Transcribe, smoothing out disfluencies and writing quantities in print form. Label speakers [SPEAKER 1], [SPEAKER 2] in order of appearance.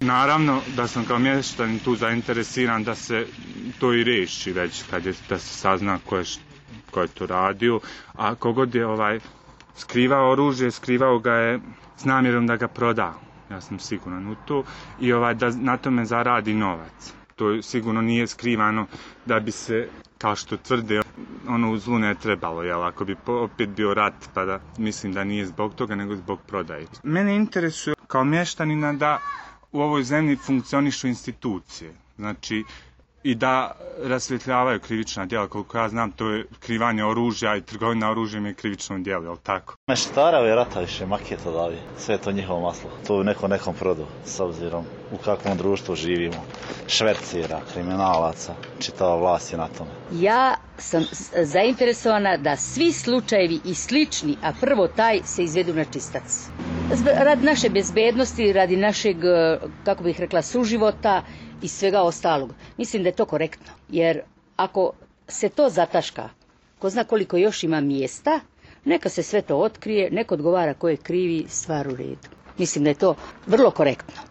[SPEAKER 1] Naravno da sam kao mještanin tu zainteresiran da se to i riješi već da se sazna ko je to radio, a kogod je skrivao oružje, skrivao ga je s namjerom da ga proda. Ja sam siguran u to i da na tome zaradi novac. To sigurno nije skrivano da bi se, kao što tvrde, u zlu ne trebalo, jel? Ako bi opet bio rat, pa da mislim da nije zbog toga, nego zbog prodaje. Mene interesuje kao mještanina da u ovoj zemlji funkcionišu institucije, znači i da rasvjetljavaju krivična djela. Koliko ja znam, to je krivanje oružja i trgovina oružjem je krivično djelo, je li tako?
[SPEAKER 2] Meštara je rata više maketa davi, sve je to njihovo maslo. To je nekom produ, s obzirom u kakvom društvu živimo. Švercira, kriminalaca, čitava vlast je na tome.
[SPEAKER 3] Ja sam zainteresovana da svi slučajevi i slični, a prvo taj, se izvedu na čistac. Radi naše bezbednosti, radi našeg, kako bih rekla, suživota i svega ostalog. Mislim da je to korektno, jer ako se to zataška, ko zna koliko još ima mjesta, neka se sve to otkrije, neko odgovara ko je krivi, stvar u redu. Mislim da je to vrlo korektno.